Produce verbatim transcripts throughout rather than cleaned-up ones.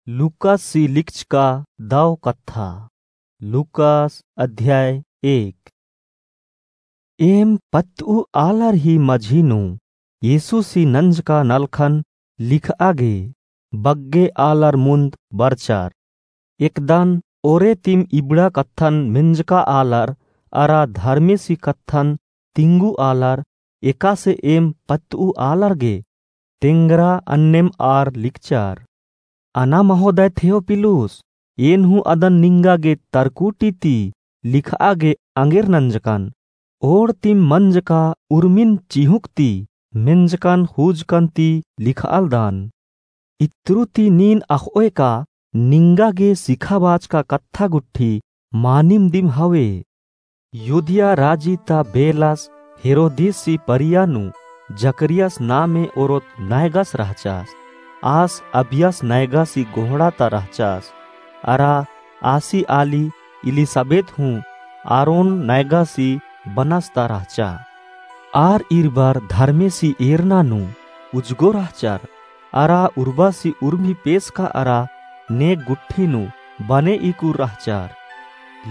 लूकासी लिखचका दव कत्था। लूकास अध्याय एक। एम पत्तऊ आलर ही मझी नू येसूसी नंजका नलखन लिखआ गे बग्गे आलर मुन्द बरचर। एकदन ओरे तिम इबड़ा कत्थन मेंजका आलर अरा धर्मेसी कत्थन तिंगू आलर एकासे एम पत्तऊ आलर गे तेंगरा अन्नेम आर लिखचर। अना महोदय थियोपिलुस, एन हूँ अदन निंगा गे तरकुटी ती लिखआ गे अंगेर नंजकन। ओड़ तिम मंजका उर्मिन चिहुक ती मेंजकन हुजकन ती लिखआलदन। इत्रु ती नीन अख़ओय का निंगा गे सिखाबाचका कत्था गुट्ठी मानिम दिम हवे। युदिया राजी ता बेलस हेरोदेसी परिया नू जकरियास नामे ओरोत नैगस रहचस। आस अबियास नैगासी गोहड़ा ता रहचस। अरा आसी आली इलिसाबेत हूँ आरोन नैगासी बनस ता रहचा। आर इरबर धर्मेसी एरना नू उजगो रहचर। अरा उर्बासी उर्मी पेसका अरा नेग गुट्ठी नू बने इकुर रहचर।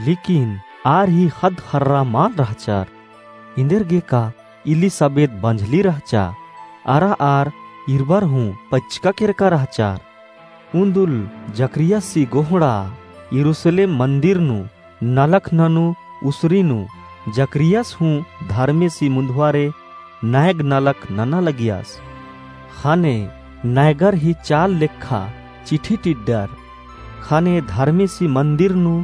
लेकिन आर ही ख़द्द ख़र्रा मल रहचर। इन्देरगेका इलिसाबेत बंझली रहचा। अरा आर इरबर हूँ पच्चका केरका रहचर। उन्दुल जकरियासी गोहड़ा यरूसलेम मन्दिर नू नलख ननू उसरी नू जकरियास हूँ धर्मेसी मुन्दुवारे नैग नलख नना लगियास। ख़ने नैगर ही चाल लेखा चिठी टिड्डर। ख़ने धर्मेसी मन्दिर नू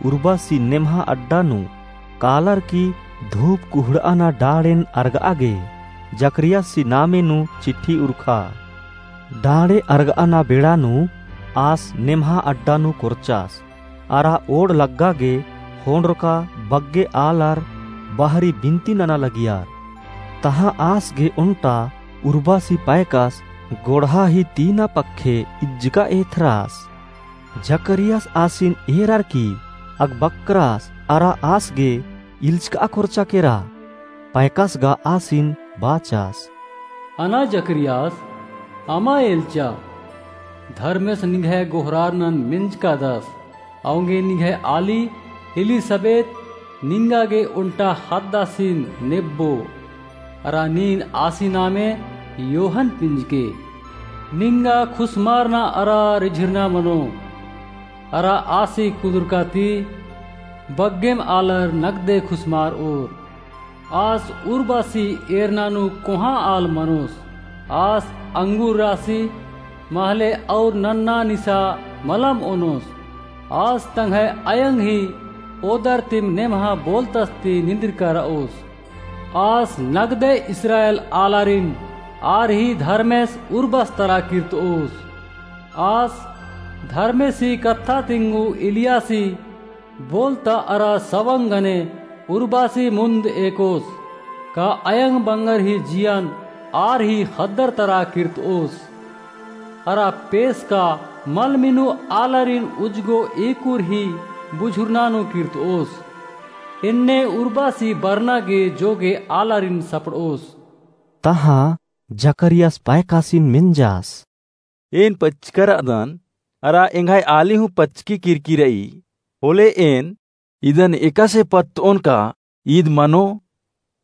उर्बासी नेम्हा अड्डा नू कालर की धूप कुहड़ाना डाँड़ेन अरगआ गे जकरियासी नामे नू चिठी उरखा। डाँड़े अरगआना बेड़ा नू आस नेम्हा अड्डा नू कोरचास। अरा ओड़ लग्गा गे ख़ोंड़रका बग्गे आलर बहरी बिन्ती नना लगियर। तहाँ आस गे ओन्टा उर्बासी पैकस गोड़हा ही तीना पक्खे इज्जका एथरास। जकरियास आसिन एरर की अगबक्करास अरा आस गे इल्चका कोरचा केरा। पैकस गा आसिन बाचास। अना जकरियास, अमा एल्चा, धर्मेस निंग्है गोहरारनन मेंजकादस। औंगे निंग्है आली एलिसाबेत निंगा गे ओन्टा ख़द्दासिन नेब्बो। अरा नीन आसी नामे योहन पिंजके। निंगा खुसमारना अरा रिझिरना मनो। अरा आसी कुदुरका ती बग्गेम आलर नगदे खुसमारओर। आस उर्बासी एरना नू कोहाँ आल मनोस। आस अंगूर रासी महले और नन्ना निसा मलम ओनोस। आस तंग्है अयंग ही ओदर तिम नेम्हा बोलतस ती निंदिरका रओस। आस नगदे इस्राएल आलारिन आर ही धर्मेस उर्बस तरा किर्तओस। आस धर्मेसी कत्था तिंगू इलियासी बोलता अरा सवंग गने उर्बासी मुन्द एकोस। का अयंग बंगर ही जियन आर ही ख़द्दर तरा किर्तओस। अरा पेसका मल मिनु आलारिन उजगो एकुर ही बुझुरना नू किर्तओस। एन्ने उर्बासी बरना गे जोगे आलारिन सपड़ओस। तहाँ जकरियास पैकासिन मेंजास। एन पच्चका रअदन, अरा एंग्है आली हूँ पच्चकी किरकी रई। होले एन इदन एकासे पत्तओन का ईद मनो?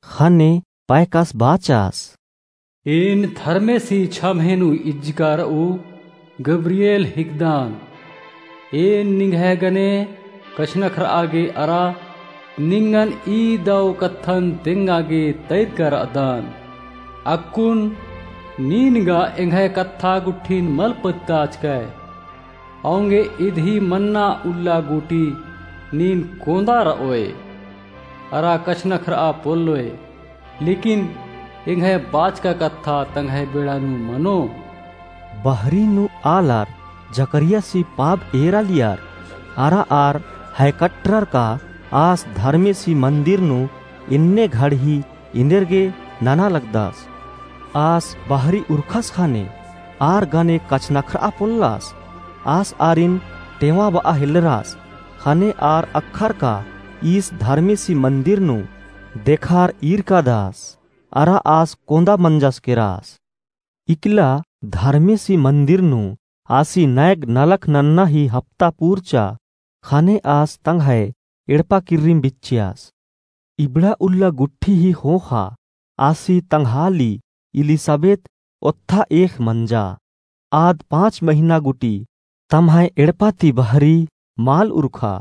ख़ने पैकास बाचास। एन धर्मेसी छम्हे नू इज्जका रऊ गब्रिएल हिकदन। एन निंग्है गने कछनखरआ गे अरा निंगन ई दव कत्थन तेंगा गे तैदका रअदन। अक्कुन नीन गा एंग्है कत्था गुट्ठिन मल पत्ताचकय। औंगे इदही मन्ना उल्ला गूटी नीन कोंदा रओय। अरा कछनखरआ पोल्लोय। लेकिन एंग्है बाचका कत्था तंग्है बेड़ा नू मनो। बहरी नू आलर जकरियासी पाब एरालियर, अरा आर है कट्टरर का आस धर्मेसी मन्दिर नू एन्ने घड़ही एन्देरगे नना लगदस। आस बहरी उरखस ख़ने आर गने कछनखरआ पोल्लस। आस आरिन टेवा बआ हेल्लरस। ख़ने आर अक्खर का ईस धर्मेसी मन्दिर नू देखार ईरकादस। अरा आस कोंदा मंजस केरस। इकला धर्मेसी मन्दिर नू आसी नैग नलख नन्ना ही हप्ता पूरचा, ख़ने आस तंग्है एड़पा किर्रिम बिच्चियास। इबड़ा उल्ला गुट्ठी ही ख़ोख़ा आसी तंग्हाली इलिसाबेत ओत्था एख़ मंजा। आद पाँच महिना गुटी तम्है एड़पा ती बहरी माल उरखा।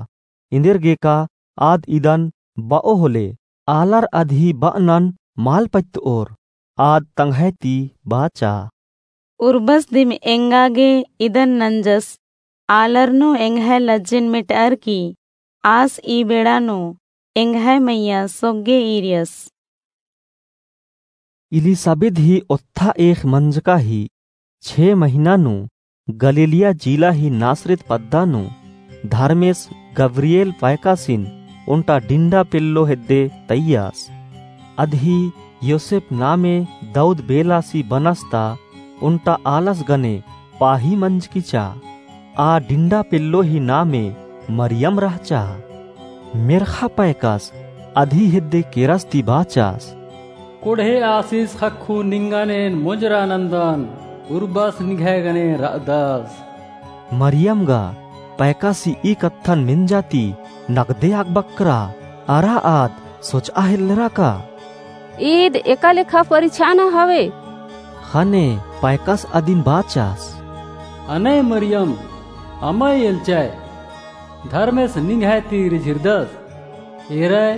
एन्देर गेका आद इदन ब'ओ होले, आलर अदही ब'अनन माल पत्त'ओर। आद तंग्है ती बाचा। उर्बस दिम एंगा गे इदन नंजस, आलर नू एंग्है लज्जिन मेट'अर की आस ई बेड़ा नू एंग्है मइय्याँ सोग्गे ईरियस। इलिसाबेद ही ओत्था एख़ मंजका ही छे महिना नू गलीलिया जिला ही नासरेत पद्दा नू धर्मेस गब्रिएल पैकासिन ओन्टा डिंडा पेल्लो हेद्दे तइयास। अदही योसेप नामे दऊद बेलासी बनस्ता ओन्टा आलस गने पाही मंजकी चा। आ डिंडा पेल्लो ही नामे मरियम रहचा। मेर्ख़ा पैकास अदही हेद्दे केरस ती बाचास। कोड़हे आसिस ख़क्खु निंगन एन मोजरा नन्दन, उर्बस निंग्है गने र'अदस। मरियम गा पैकासी ई कत्थन मेंजा ती नगदे अकबक्करा, अरा आद सोच'आ हेल्लरा का। ईद एका लेखा परिछाना हवे। ख़ने पैकास अदिन बाचास। अनय मरियम, अमय एल्चय, धर्मेस निंग्है ती रिझिरदस। एरय,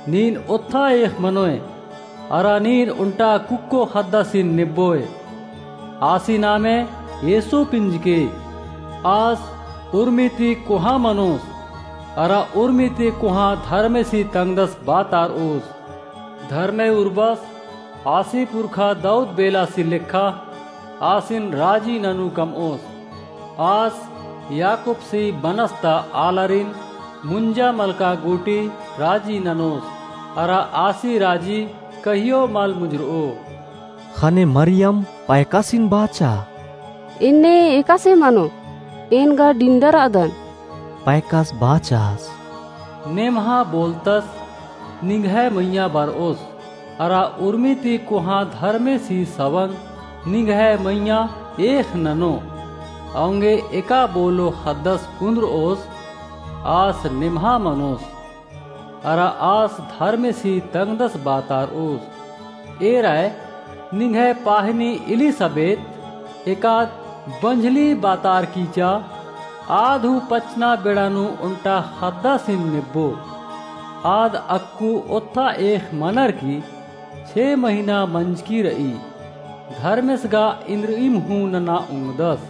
नीन ओत्था एख़ मनोय, अरा नीन ओन्टा कुक्को ख़द्दासिन नेब्बोय। आसी नामे येसु पिंजके। आस उर्मी ती कोहाँ मनोस, अरा उर्मी ती कोहाँ धर्मेसी तंग्दस बातार'ओस। धर्मे उर्बस आसी पुरखा दऊद बेलासी लेखा आसिन राजी ननू कम'ओस। आस याकूबसी बनस्ता आलारिन मुंजा मलका गूटी राजी ननोस, अरा आसी राजी कहियो मल मुंजर'ओ। ख़ने मरियम पैकासिन बाचा। एन्ने एकासे मनो, एन गा डिंडा र'अदन। पैकास बाचास। नेम्हा बोलतस निंग्है मइय्याँ बर'ओस, अरा उर्मी ती कोहाँ धर्मेसी सवंग निंग्है मइय्याँ एख़ ननो। औंगे एका बोलो ख़द्दस कुन्द्र'ओस, आस नेम्हा मनोस। अरा आस धर्मेसी तंग्दस बातार'ओस। एरय, निंग्है पाहनी इलिसाबेत एकाद बंझली बातारकी चा, आद हूँ पचना बेड़ा नू ओन्टा ख़द्दासिन नेब्बो। आद अक्कु ओत्था एख़ मनर की छे महिना मंजकी र'ई। धर्मेस गा इन्द्रिइम हूँ नना ओंगदस।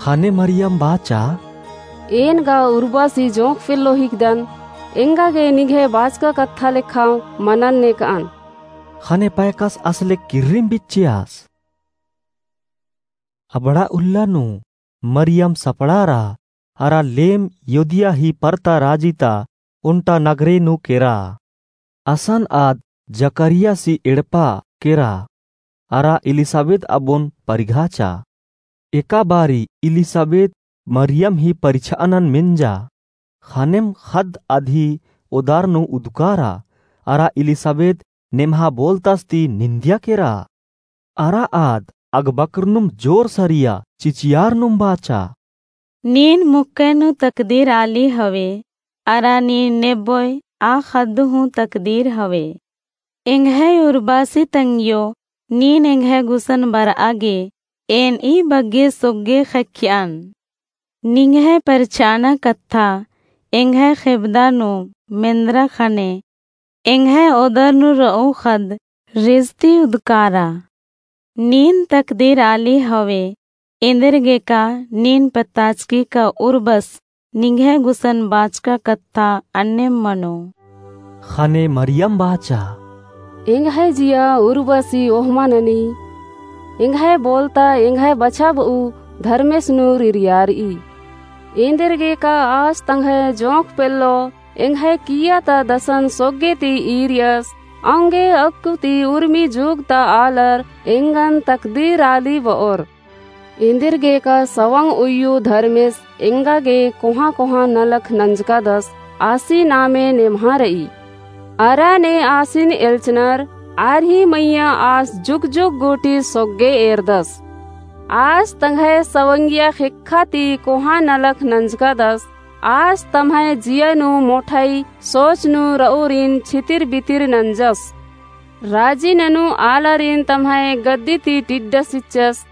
ख़ने मरियम बाचा। एन गा उर्बसी जोंख़ पेल्लो हिकदन, एंगा गे निंग्है बाचका कत्था लेखा मनन नेक'अन। ख़ने पैकास असले किर्रिम बिच्चियास। अबड़ा उल्ला नू मरियम सपड़ारा अरा लेम युदिया ही परता राजी ता ओन्टा नगरे नू केरा। असन आद जकरियासी एड़पा केरा, अरा इलिसाबेद अबोन परिघाचा। एका बारी इलिसाबेद मरियम ही परिछानन मेंजा। ख़नेम ख़द्द अदही ओदार नू उदुकारा, अरा इलिसाबेद नेम्हा बोलतस ती निंदिया केरा। अरा आद अगबकरनुम जोर सरिया चिचियारनुम बाचा। नीन मुक्के नू तकदीर आली हवे, अरा नीन नेब्बोय आ ख़द्द हूँ तकदीर हवे। एंग्है उर्बासी तंग्यो, नीन एंग्है गुसन बर'आ गे, एन ई बग्गे सोग्गे ख़क्खियन। निंग्है परछाना कत्था, एंग्है ख़ेबदा नू मेंदरा ख़ने, एंग्है ओदर नू र'ऊ ख़द्द रिझती उदकारा। नीन तकदीर आली हवे, एन्देरगेका नीन पताचकी का उर्बस निंग्है गुसन बाचका कत्था अन्नेम मनो। ख़ने मरियम बाचा। एंग्है जिया उर्बसी ओहमा ननी, एंग्है बोलता एंग्है बछाब'ऊ धर्मेस नू रिरियार'ई। एन्देरगेका आस तंग्है जोंख़ पेल्लो एंग्है किय्या ता दसन सोग्गे ती ईरियस, औंगे अक्कु ती उर्मी जुग ता आलर एंगन तकदीर आली ब'ओर। एन्देरगेका सवंग उइय्यू धर्मेस एंगा गे कोहाँ कोहाँ नलख नंजकादस आसी नामे नेम्हा र'ई। अरा ने आसिन एल्चनर आर ही मइय्याँ आस जुग जुग गूटी सोग्गे एरदस। आस तंग्है सवंगिया ख़ेक्खा ती कोहाँ नलख नंजकादस। आस तम्है जिया नू मोठई सोच नू रऊरिन छितिर बितिर नंजस। राजी ननू आलारिन तम्है गद्दी ती टिड्डस चिच्चस।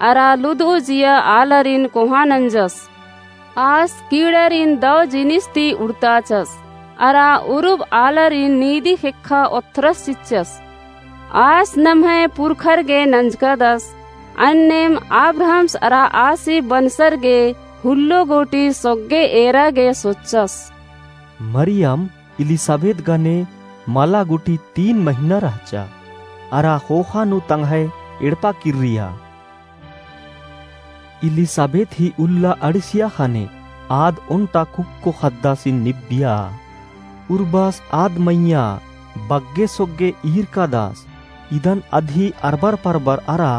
अरा लुदऊ जिया आलारिन कोहाँ नंजस। आस कीड़ारिन दव जिनिस ती उड़ताचस। अरा उरुब आलारिन नीदी ख़ेक्खा ओथ्रस चिच्चस। आस नम्है पुरखर गे नंजकादस। अन्नेम अब्राहम्स अरा आसी बनसर गे हुल्लो गूटी सोग्गे एरा गे सोच्चस। मरियम इलिसाबेथ गने मला गूटी तीन महिना रहचा। अरा ख़ोख़ा नू तंग्है एड़पा किर्रिया। इलिसाबेथ ही उल्ला अंड़सिया ख़ने आद ओन्टा कुक्को ख़द्दासिन निब्बिया। उर्बास आद मइय्याँ बग्गे सोग्गे ईरकादस। इदन अदही अरबर परबर अरा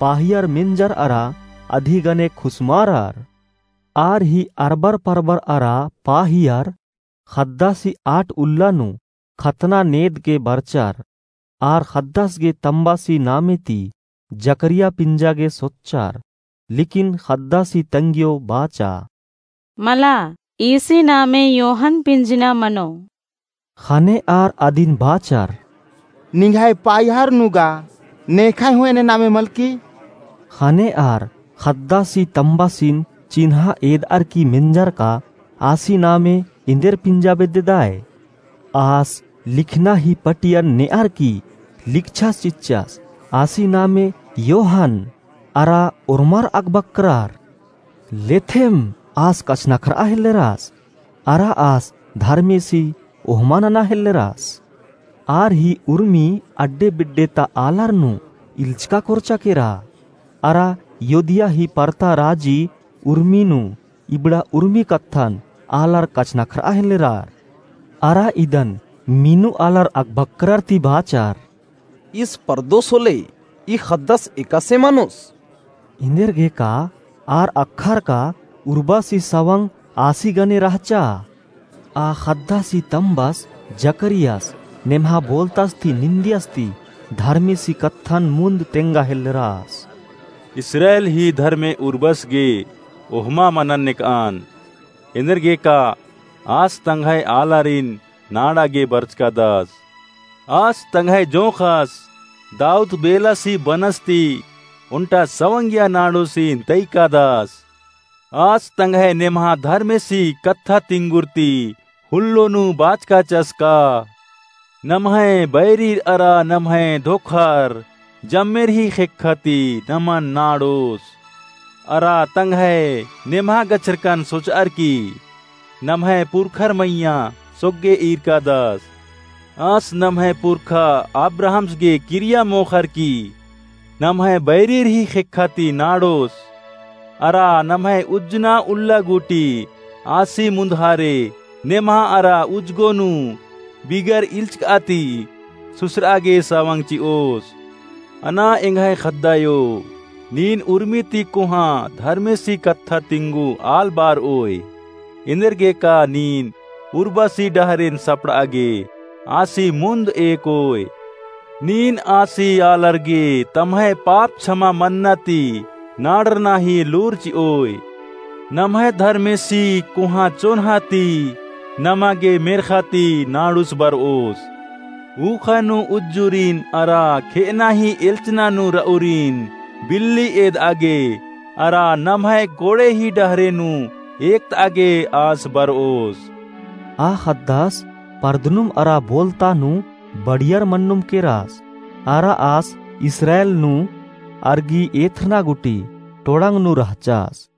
पाहियर मेंजर अरा अदही गने खुसमारर। आर ही अरबर परबर अरा पाहियर ख़द्दासी आठ उल्ला नू खतना नेद गे बरचर। आर ख़द्दास गे तम्बासी नामे ती जकरिया पिंजा गे सोच्चर। लेकिन ख़द्दासी तंग्यो बाचा। मला, ईसी नामे योहन पिंजना मनो। ख़ने आर अदिन बाचर। निंग्है पाहियर नू गा नेख़य हूँ एन्ने नामे मलकी। ख़ने आर ख़द्दासी तम्बासिन चिन्हा एदअर की मेंजर का आसी नामे एन्देर पिंजा बेद्ददय। आस लिखना ही पटियन नेअर की लिखछास चिच्चस, आसी नामे योहन अरा ओर्मर अगबक्रार। लेथेम आस कछनखरआ हेल्लेरास, अरा आस धर्मेसी ओहमा नना हेल्लेरास। आर ही उर्मी अड्डे बिड्डे ता आलर नू इल्चका कोरचा केरा। अरा योदिया ही परता राजी उर्मी नू इबड़ा उर्मी कत्थन आलर कछनखरआ हेल्लेरार। अरा इदन मीनू आलर अगबक्रार ती बाचर। ईस परदोस होले, ई ख़द्दस एकासे मनोस। एन्देरगेका आर अख़रका उर्बासी सवंग आसी गने रहचा। आ ख़द्दासी तम्बस जकरियास नेम्हा बोलतास ती निंदियस ती धर्मेसी कत्थन मुन्द तेंगा हेल्लेरास। इस्राएल ही धर्मे उर्बस गे ओहमा मनन नेकआन। एन्देरगेका आस तंग्है आलारिन नाड़ा गे बरचकादस। आस तंग्है जोंख़स दाऊद बेलासी बनस ती ओन्टा सवंगिया नाड़ोसिन तइकादस। आस तंग्है नेम्हा धर्मेसी कत्था तिंगुर ती हुल्लो नू बाचकाचस का, नम्है बैरिर अरा नम्है धोखर जम्मेर ही ख़ेक्खा ती नमन नाड़ोस। अरा तंग्है नेम्हा गछरकन सोचअर की नम्है पुरखर मइय्याँ सोग्गे ईरकादस। आस नम्है पुरखा अब्राहम्स गे किरिया मोख़र की नम्है बैरिर ही ख़ेक्खा ती नाड़ोस। अरा नम्है उज्जना उल्ला गूटी आसी मुन्दहारे नेम्हा अरा उज्जगो नू बिगर इल्चकआ ती सुसरआ गे सवंग चिओस। अना एंग्है ख़द्दायो, नीन उर्मी ती कोहाँ धर्मेसी कत्था तिंगु आल बारओय। एन्देरगेका नीन उर्बासी डहरेन सपड़आ गे आसी मुन्द एकओय। नीन आसी आलर गे तम्है पाप छमा मन्ना ती नाड़रना ही लूर चिओय। नम्है धर्मेसी कोहाँ चोन्हा ती नमा गे मेर्ख़ा ती नाड़ुस बरओस। ऊख़ा नू उज्जुरिन अरा खेअना ही एल्चना नू रऊरिन बिल्ली एदआ गे अरा नम्है कोड़े ही डहरे नू एकतआ गे आस बरओस। आ ख़द्दस परदनुम अरा बोलता नू बड़ियर मन्नुम केरास। अरा आस इस्राएल नू अरगी एथरना गूटी टोड़ंग नू रहचास।